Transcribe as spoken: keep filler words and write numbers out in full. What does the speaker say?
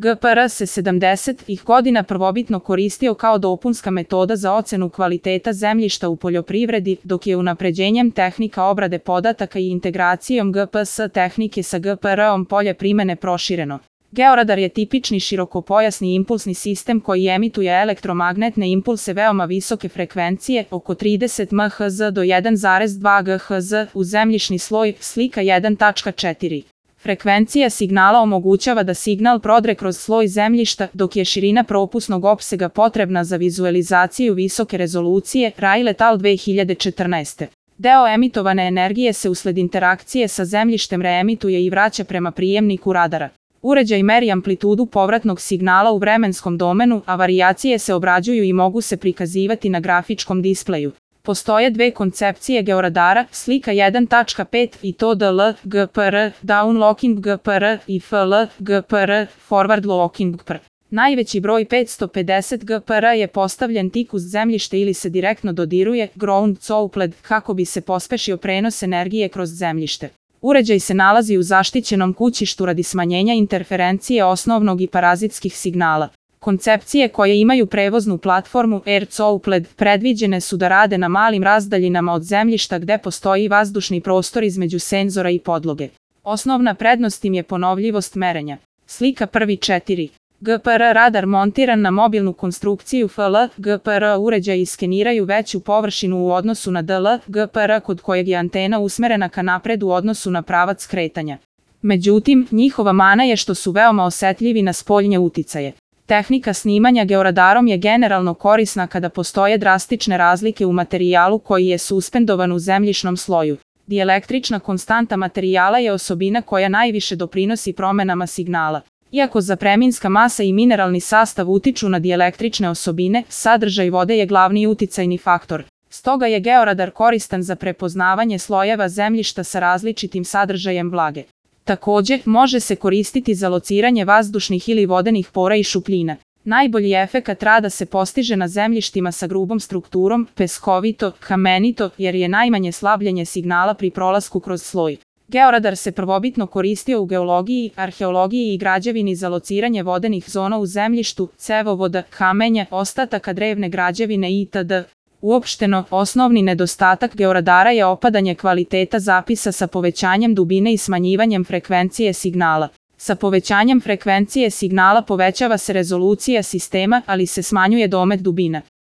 G P R se sedamdesetih godina prvobitno koristio kao dopunska metoda za ocenu kvaliteta zemljišta u poljoprivredi, dok je unapređenjem tehnika obrade podataka i integracijom G P S tehnike sa G P R-om polje primene prošireno. Georadar je tipični širokopojasni impulsni sistem koji emituje elektromagnetne impulse veoma visoke frekvencije, oko trideset meherca do jedan zarez dva gigaherca, u zemljišni sloj, slika jedan tačka četiri. Frekvencija signala omogućava da signal prodre kroz sloj zemljišta, dok je širina propusnog opsega potrebna za vizualizaciju visoke rezolucije, Rayleigh et al. dve hiljade četrnaeste. Deo emitovane energije se usled interakcije sa zemljištem reemituje i vraća prema prijemniku radara. Uređaj meri amplitudu povratnog signala u vremenskom domenu, a varijacije se obrađuju i mogu se prikazivati na grafičkom displeju. Postoje dve koncepcije georadara, slika jedan tačka pet i to D L G P R, Down Locking G P R i F L G P R, Forward Locking G P R. Najveći broj petsto pedeset G P R je postavljen tik uz zemljište ili se direktno dodiruje, ground soupled, kako bi se pospešio prenos energije kroz zemljište. Uređaj se nalazi u zaštićenom kućištu radi smanjenja interferencije osnovnog i parazitskih signala. Koncepcije koje imaju prevoznu platformu Air Soupled predviđene su da rade na malim razdaljinama od zemljišta gde postoji vazdušni prostor između senzora i podloge. Osnovna prednost im je ponovljivost merenja. Slika prvi četiri. G P R radar montiran na mobilnu konstrukciju F L G P R uređaji skeniraju veću površinu u odnosu na D L G P R kod kojeg je antena usmerena ka napred u odnosu na pravac kretanja. Međutim, njihova mana je što su veoma osetljivi na spoljne uticaje. Tehnika snimanja georadarom je generalno korisna kada postoje drastične razlike u materijalu koji je suspendovan u zemljišnom sloju. Dielektrična konstanta materijala je osobina koja najviše doprinosi promenama signala. Iako zapreminska masa i mineralni sastav utiču na dielektrične osobine, sadržaj vode je glavni uticajni faktor. Stoga je georadar koristan za prepoznavanje slojeva zemljišta sa različitim sadržajem vlage. Takođe, može se koristiti za lociranje vazdušnih ili vodenih pora i šupljina. Najbolji efekat rada se postiže na zemljištima sa grubom strukturom, peskovito, kamenito, jer je najmanje slabljenje signala pri prolasku kroz sloj. Georadar se prvobitno koristio u geologiji, arheologiji i građevini za lociranje vodenih zona u zemljištu, cevovoda, kamenja, ostataka drevne građevine itd. Uopšteno, osnovni nedostatak georadara je opadanje kvaliteta zapisa sa povećanjem dubine i smanjivanjem frekvencije signala. Sa povećanjem frekvencije signala povećava se rezolucija sistema, ali se smanjuje domet dubina.